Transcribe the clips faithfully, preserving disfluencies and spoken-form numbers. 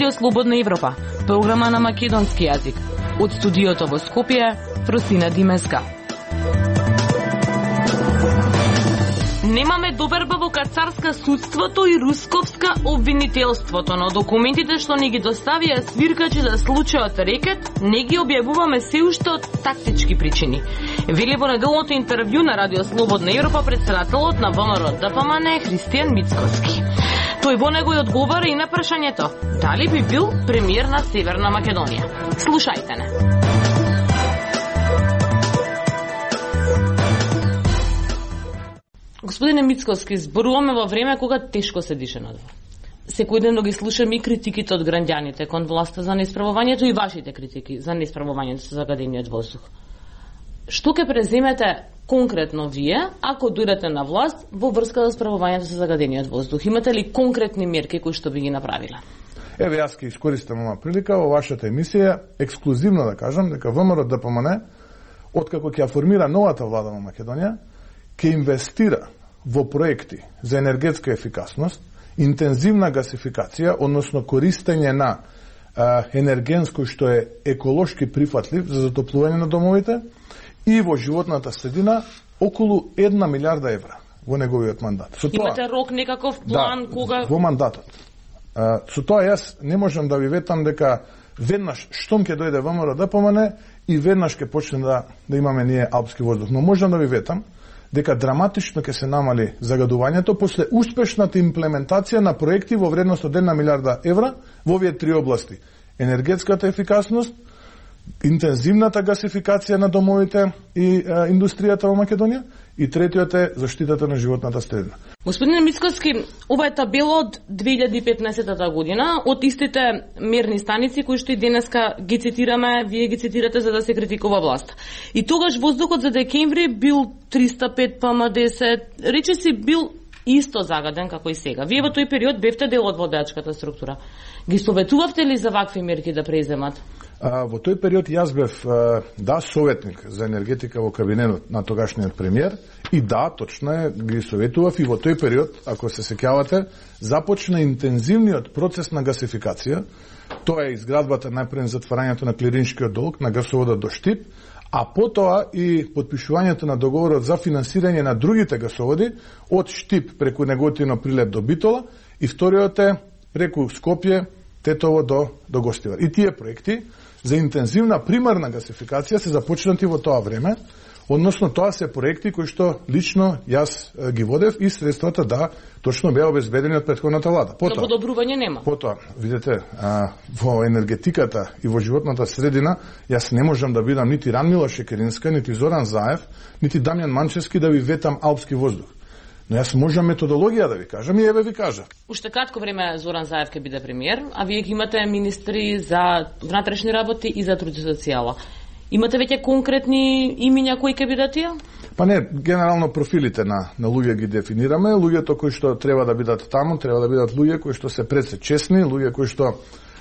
Радио Слободна Европа, програма на македонски јазик. Од студиото во Скопје, Фросина Димеска. Немаме доверба во кацарска судството и русковска обвинителството, но документите што ни ги доставија свиркачи за случајот Рекет не ги објавуваме се уште од тактички причини. Вели во неделното интервју на Радио Слободна Европа председателот на ВМРО Д П М Н Христијан Мицкоски. Тој во него и одговара и на прашањето дали би бил премиер на Северна Македонија. Слушајте не. Господине Мицкоски, зборуваме во време кога тешко се дише надвор. Секојдневно ги слушаме и критиките од граѓаните кон власта за несправувањето и вашите критики за несправувањето со загадениот воздух. Што ќе преземете конкретно вие, ако дојдете на власт во врска за справувањето со загадениот воздух? Имате ли конкретни мерки кои што би ги направиле? Еве, јас ќе искористам оваа прилика во вашата емисија ексклузивно да кажам дека ВМРО Д П М Н, откако ќе формира новата влада во Македонија, ќе инвестира во проекти за енергетска ефикасност, интензивна гасификација, односно користење на а, енерген кој што е еколошки прифатлив за затоплување на домовите, и во животната средина околу една милиарда евра во неговиот мандат. Со тоа, имате рок некаков план да, кога во мандатот. А, со тоа јас не можам да ви ветам дека веднаш штом ќе дојде ВМРО Д П М Н и веднаш ќе почне да да имаме ние алпски воздух, но можам да ви ветам дека драматично ќе се намали загадувањето после успешната имплементација на проекти во вредност од една милиарда евра во овие три области: енергетската ефикасност, интензивната гасификација на домовите и а, индустријата во Македонија, и третиот е заштитата на животната средина. Господине Мицкоски, ова е табела од две илјади и петнаесета година, од истите мерни станици кои што и денеска ги цитираме, вие ги цитирате за да се критикува власт. И тогаш воздухот за декември бил триста и пет П М десет, речиси бил исто загаден како и сега. Вие во тој период бевте дел од водачката структура. Ги советувавте ли за вакви мерки да преземат? А, во тој период јас бев а, да советник за енергетика во кабинетот на тогашниот премиер и да, точно е, ги советував и во тој период, ако се сеќавате, започна интензивниот процес на гасификација. Тоа е изградбата најпред затварањето на клириншкиот долг на гасоводот до Штип, а потоа и подпишувањето на договорот за финансирање на другите гасоводи од Штип преку Неготино Прилеп до Битола и вториот е преку Скопје, Тетово до, до Гостивар. И тие проекти за интензивна примарна гасификација се започнати во тоа време, односно тоа се проекти кои што лично јас ги водев и средствата да точно беа обезбедени од претходната влада. Потоа, но подобрување нема. Потоа, видете, а, во енергетиката и во животната средина јас не можам да бидам нити Ранмила Шекеринска, нити Зоран Заев, нити Дамјан Манчевски да ви ветам алпски воздух. Но јас можам методологија да ви кажам и еве ви кажа. Уште кратко време Зоран Заев ќе биде премиер, а вие ги имате министри за внатрешни работи и за труд и социјала. Имате веќе конкретни имиња кои ќе бидат тие? Па не, генерално профилите на, на луѓе ги дефинираме. Луѓето кои што треба да бидат таму, треба да бидат луѓе кои што се пред се честни, луѓе кои што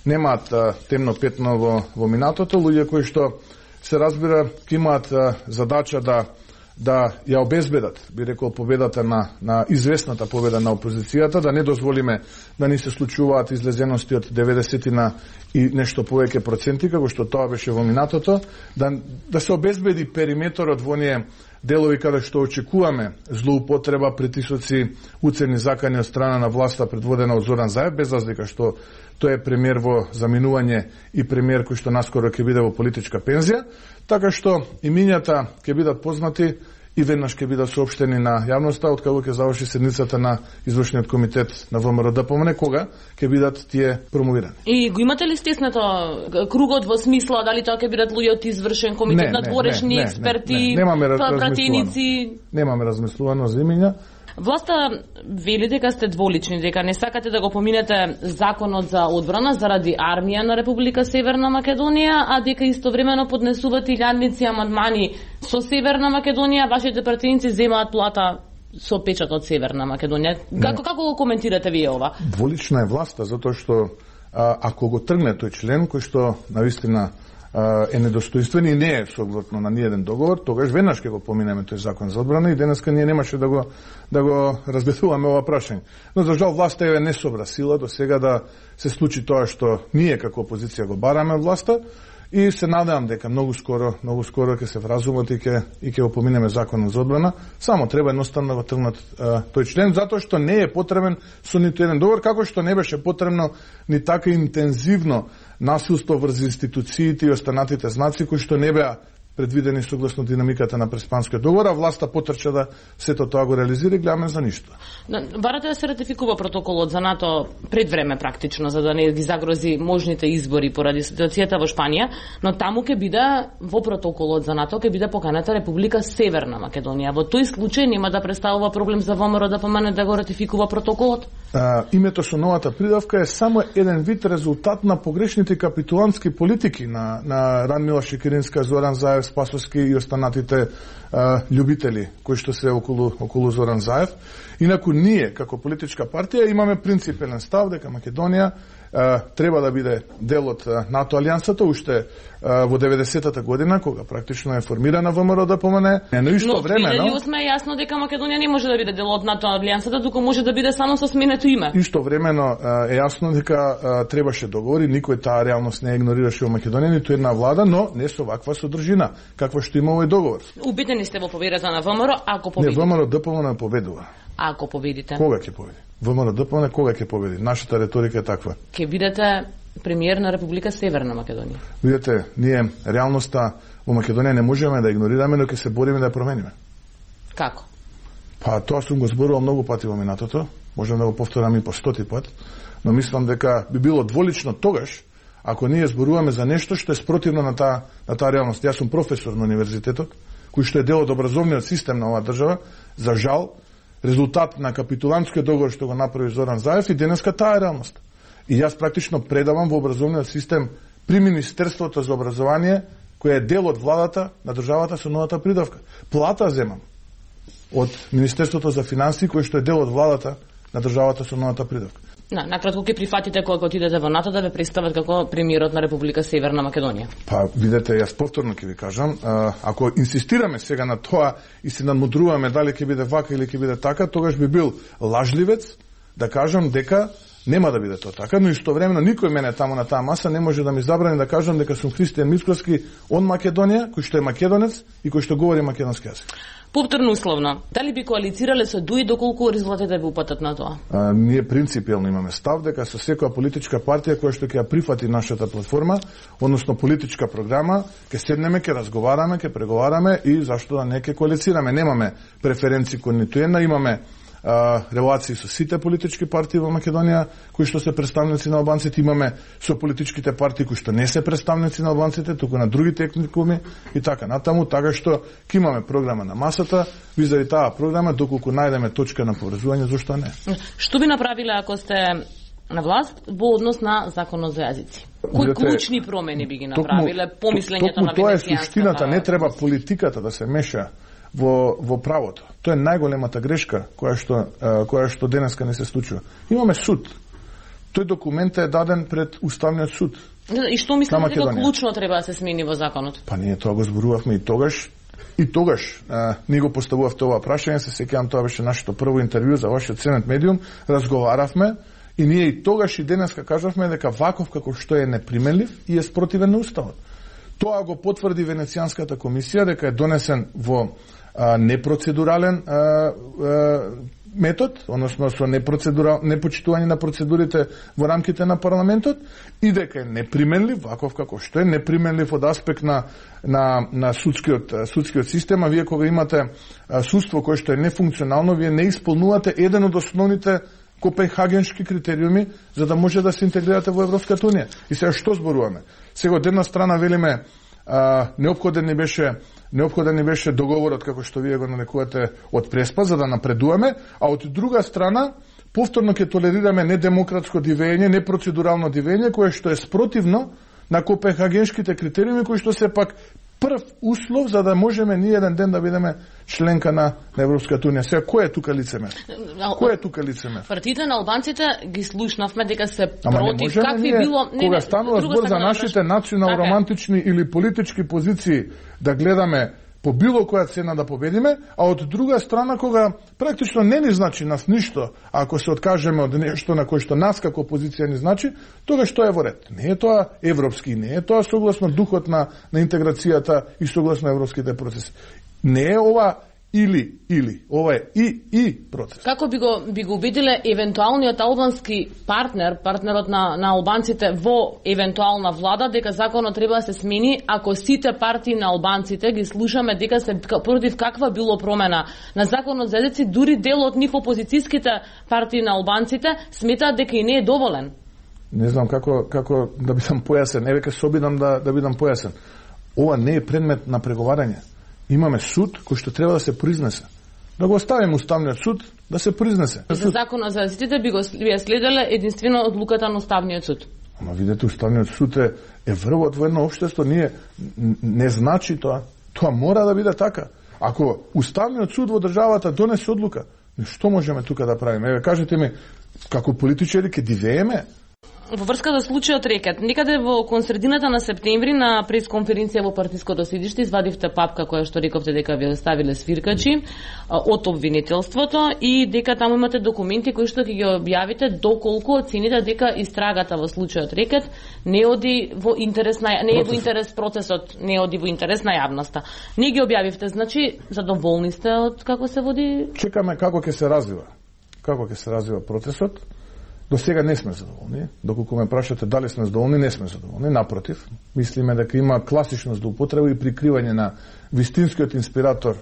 немаат а, темно петно во, во минатото, луѓе кои што се разбира ќе имаат а, задача да да ја обезбедат, би рекол, победата на, на известната победа на опозицијата, да не дозволиме да ни се случуваат излезености од деветдесети на и нешто повеќе проценти, како што тоа беше во минатото, да, да се обезбеди периметорот во оние делови каде што очекуваме злоупотреба, притисоци, уцени закани од страна на власта предводена од Зоран Заев, без разлика што тој е премиер во заминување и премиер кој што наскоро ќе биде во политичка пензија, така што имињата ќе бидат познати и веднаш ќе бидат соопштени на јавноста откако ќе заврши седницата на извршниот комитет на ВМРО Д П М Н, кога ќе бидат тие промовирани. И го имате ли стеснато кругот во смисла дали тоа ќе бидат луѓе од извршен комитет, не, надворешни не, експерти, не, не, немаме пратеници? Немаме размислувано за имиња. Власта вели дека сте дволични, дека не сакате да го поминете законот за одбрана заради армија на Република Северна Македонија, а дека истовремено поднесувате илјадници амандмани со Северна Македонија, вашите пратеници земаат плата со печат од Северна Македонија. Како, како го коментирате вие ова? Дволична е власта, затоа што а, ако го тргне тој член кој што навистина е недостоинствен и не е согласно на ниеден договор, тогаш веднаш ќе го поминеме тој закон за одбрана и денеска ние немаше да го да го разгледуваме ова прашање. Но за жал власта е не собра сила до сега да се случи тоа што ние како опозиција го бараме власта. И се надевам дека многу скоро, многу скоро ќе се вразумат и ќе и ќе го поминеме законот за одбрана. Само треба едноставно да го тргнат тој член затоа што не е потребен со ниту еден договор, како што не беше потребно ни така интензивно насилство врз институциите и останатите знаци кои што не беа предвидени согласно динамиката на Преспанскиот договор, а власта потрча да сето тоа го реализира и гледаме за ништо. Барате да се ратификува протоколот за НАТО пред време практично, за да не ги загрози можните избори поради ситуацијата во Шпанија, но таму ќе биде во протоколот за НАТО ќе биде поканата Република Северна Македонија. Во тој случај нема да представува проблем за ВМРО да помане да го ратификува протоколот? А, името со новата придавка е само еден вид резултат на погрешните капитулантски политики на на Радмила Шекеринска, Зоран Заев, Спасовски и останатите а, љубители кои што се околу околу Зоран Заев. Инаку ние како политичка партија имаме принципен став дека Македонија а, треба да биде дел од НАТО алијансата уште а, во деветдесетата година кога практично е формирана ВМРО да помане. Но исто време, но во две илјади и осма е јасно дека Македонија не може да биде дел од НАТО алијансата, туку може да биде само со сменето име. Исто времено е јасно дека а, требаше договори, никој таа реалност не игнорираше во Македонија, ниту една влада, но не со ваква содржина, каква што има овој договор. Убедени сте во победата на ВМРО, ако победите? Не, ВМРО ДПМН победува. Ако победите? Кога ќе победи? ВМРО ДПМН кога ќе победи? Нашата реторика е таква. Ќе бидете премиер на Република Северна Македонија. Видете, ние реалноста во Македонија не можеме да игнорираме, но ќе се бориме да ја промениме. Како? Па тоа сум го зборувал многу пати во минатото, можам да го повторам и по стоти пат, но мислам дека би било дволично тогаш ако ние зборуваме за нешто што е спротивно на таа на таа реалност. Јас сум професор на универзитетот, кој што е дел од образовниот систем на оваа држава. За жал, резултат на капитулантскиот договор што го направи Зоран Заев и денеска таа е реалност. И јас практично предавам во образовниот систем при Министерството за образование, кој е дел од владата на државата со новата придавка. Плата земам од Министерството за финансии, кој што е дел од владата на државата со новата придавка. На, накратко ќе прифатите кога отидете во НАТО да ве представат како премиерот на Република Северна Македонија? Па, видете, јас повторно ќе ви кажам, а, ако инсистираме сега на тоа и се надмудруваме дали ќе биде вака или ќе биде така, тогаш би бил лажливец да кажам дека нема да биде тоа така, но истовремено никој мене таму на таа маса не може да ми забрани да кажам дека сум Христијан Мицковски од Македонија, кој што е македонец и кој што говори македонски јазик. Повторно условно, дали би коалицирале со ДУИ доколку резултатите ви упатат на тоа? А, ние принципиелно имаме став дека со секоја политичка партија која што ќе ја прифати нашата платформа, односно политичка програма, ќе седнеме, ќе разговараме, ќе преговараме и зашто да не ќе коалицираме. Немаме преференции кон ниту една, имаме а, релации со сите политички партии во Македонија кои што се представници на албанците, имаме со политичките партии кои што не се представници на албанците, туку на другите етникуми и така натаму, така што ќе имаме програма на масата, визави таа програма доколку најдеме точка на поврзување, зошто не. Што би направиле ако сте на власт во однос на законот за јазици? Кои клучни промени би ги направиле, помислењето на Венецијанската? Тоа е суштината, не треба политиката да се меша во во правото. Тоа е најголемата грешка која што која што денеска не се случува. Имаме суд. Тој документ е даден пред Уставниот суд. И што мислите дека клучно треба да се смени во законот? Па ние тоа го зборувавме и тогаш. И тогаш а, ние го поставувавте ова прашање, се сеќавам, тоа беше нашето прво интервју за вашиот Сенет медиум, разговаравме и ние и тогаш и денеска кажавме дека ваков како што е неприменлив и е спротивен на Уставот. Тоа го потврди Венецијанската комисија дека е донесен во а, непроцедурален а, а, метод, односно со непроцедурал, непочитување на процедурите во рамките на парламентот и дека е неприменлив, ваков како што е неприменлив од аспект на на на судскиот судскиот систем, а вие кога имате а, судство кое што е нефункционално, вие не исполнувате еден од основните копенхагенски критериуми за да може да се интегрирате во Европската унија. И сега што зборуваме? Сега од една страна велиме а, неопходен ни беше неопходен ни беше договорот како што вие го нарекувате од Преспа за да напредуваме, а од друга страна повторно ќе толерираме недемократско дивење, непроцедурално дивење кое што е спротивно на копенхагенските критериуми кои што се пак прв услов за да можеме ние еден ден да бидеме членка на, на Европската унија. Сега, кој е тука лицемер? Кој е тука лицемер? Партиите на албанците ги слушнавме дека се Ама против какви ние, било... Не, кога не, станува збор за нашите национално-романтични или политички позиции да гледаме по било која цена да победиме, а од друга страна кога практично не ни значи нас ништо, ако се откажеме од нешто на кое што нас како опозиција ни значи, тогаш тоа е во ред. Не е тоа европски, не е тоа согласно духот на, на интеграцијата и согласно европските процеси. Не е ова или, или. Ова е и, и процес. Како би го, би го убедиле евентуалниот албански партнер, партнерот на, на албанците во евентуална влада, дека законот треба да се смени, ако сите партии на албанците ги слушаме дека се против каква било промена на законот за езици, дури дел од нив опозицијските партии на албанците сметаат дека и не е доволен? Не знам како, како да бидам појасен, еве ке се обидам да, да бидам појасен. Ова не е предмет на преговарање. Имаме суд кој што треба да се произнесе. Да го оставиме уставниот суд да се произнесе. За законот за езиците би го би следеле единствено одлуката на уставниот суд. Ама видете, уставниот суд е, е врвот во едно општество, ние не значи тоа. Тоа мора да биде така. Ако уставниот суд во државата донесе одлука, што можеме тука да правиме? Еве кажете ми, како политичари ќе дивееме? Во врска со случајот Рекет, некаде во кон средината на септември на пресконференција во партиското седиште извадивте папка која што рековте дека ви оставиле свиркачи од обвинителството и дека таму имате документи кои што ќе ги објавите доколку оцените дека истрагата во случајот Рекет не оди во интерес на не е во интерес процесот, не оди во интерес на јавноста. Не ги објавивте, значи задоволни сте од како се води? Чекаме како ќе се развива. Како ќе се развива процесот. До сега не сме задоволни. Доколку ме прашате дали сме задоволни, не сме задоволни. Напротив, мислиме дека има класична злоупотреба и прикривање на вистинскиот инспиратор,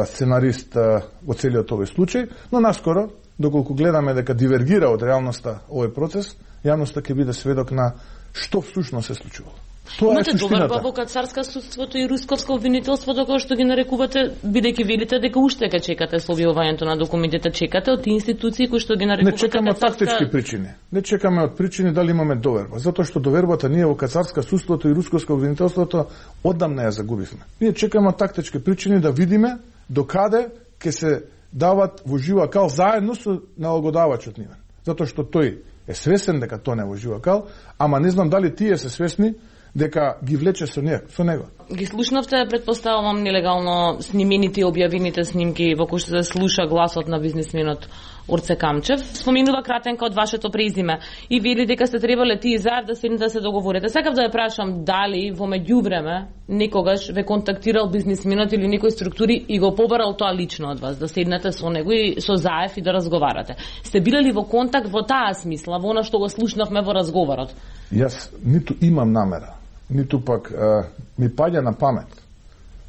сценарист во целиот овој случај, но наскоро, доколку гледаме дека дивергира од реалноста овој процес, јавноста ќе биде сведок на што всушност се случувало. Тоа Имате е суштината. доверба во кацарска судството и русковско обвинителството, кој што ги нарекувате, бидејќи велите дека уште ке чекате со објавувањето на документите, чекате од институции кои што ги нарекувате. Не чекаме од кацарска... тактички причини. Не чекаме од причини дали имаме доверба, затоа што довербата ние во кацарска судството и русковско обвинителството одамна ја загубивме. Ние чекаме од тактички причини да видиме докаде ќе се дават во жива кал заедно со налагодавачот нивен. Затоа што тој е свесен дека тоа не во жива кал, ама не знам дали тие се свесни дека ги влече со него, со него. Ги слушнавте, предпоставувам, нелегално снимените и објавените снимки во кои што се слуша гласот на бизнисменот Орце Камчев. Споменува кратенка од вашето презиме и вели дека сте требале тие заедно да седнете да се договорите. Сакав да ја прашам дали во меѓувреме некогаш ве контактирал бизнисменот или некои структури и го побарал тоа лично од вас, да седнете со него и со заев и да разговарате. Сте биле ли во контакт во таа смисла, во она што го слушнавме во разговорот? Јас ниту имам намера, ниту пак а, ми паѓа на памет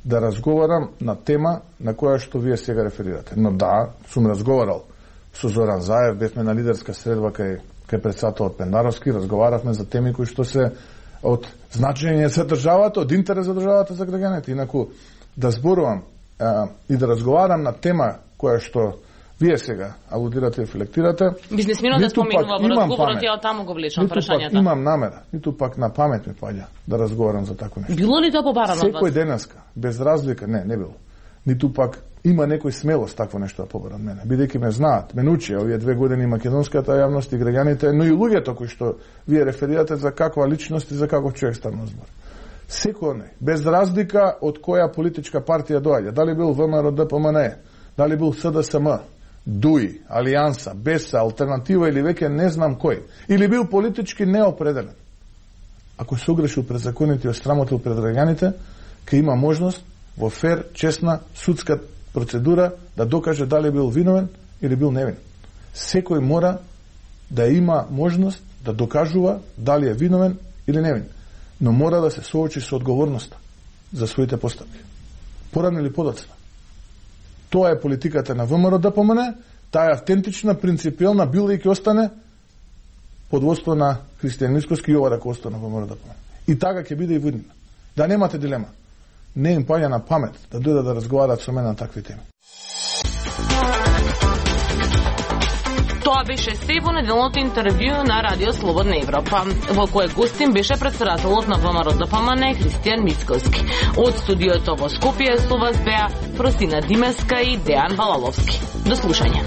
да разговарам на тема на која што вие сега реферирате. Но да, сум разговарал со Зоран Заев, бевме на лидерска средба кај, кај председателот Пендаровски, разговаравме за теми кои што се од значење за државата, од интерес за државата, за граѓаните. Инаку, да зборувам а, и да разговарам на тема која што вие сега алудирате и рефлектирате. Бизнисменот да споменува во разговорот, ја таму го влечам прашањата. Ниту пак имам намера, ниту пак на памет ми паѓа да разговарам за такво нешто. Било ли тоа побарано од вас? Секој денеска, без разлика, не, не било. Ниту пак има некој смелост такво нешто да побара од мене. Бидејќи ме знаат, ме научи овие две години македонската јавност и граѓаните, но и луѓето кои што вие реферирате за каква личност и за каков човек станува збор. Секој, без разлика од која политичка партија доаѓа, дали бил ВМРО Д П М Н Е, дали бил С Д С М, Дуи, Алијанса, Беса, Алтернатива или веќе не знам кој, или бил политички неопределен. Ако се огрешил пред законите и осрамотил пред граѓаните, ќе има можност во фер, честна, судска процедура да докаже дали бил виновен или бил невин. Секој мора да има можност да докажува дали е виновен или невин, но мора да се соочи со одговорноста за своите постапки. Порано или подоцна. Тоа е политиката на ВМРО Д П М Н, таа е автентична, принципиелна, била и ќе остане под водство на Христијан Мицкоски и ова рако остане на ВМРО Д П М Н. И така ќе биде и во иднина. Да немате дилема. Не им паѓа на памет да дојдат да разговараат со мене на такви теми. Ова беше се во неделното интервју на Радио Слободна Европа, во кое гостин беше претседателот на ВМРО Д П М Н Христијан Мицковски. Од студиото во Скопје со вас беа Фросина Димеска и Дејан Балаловски. До слушање.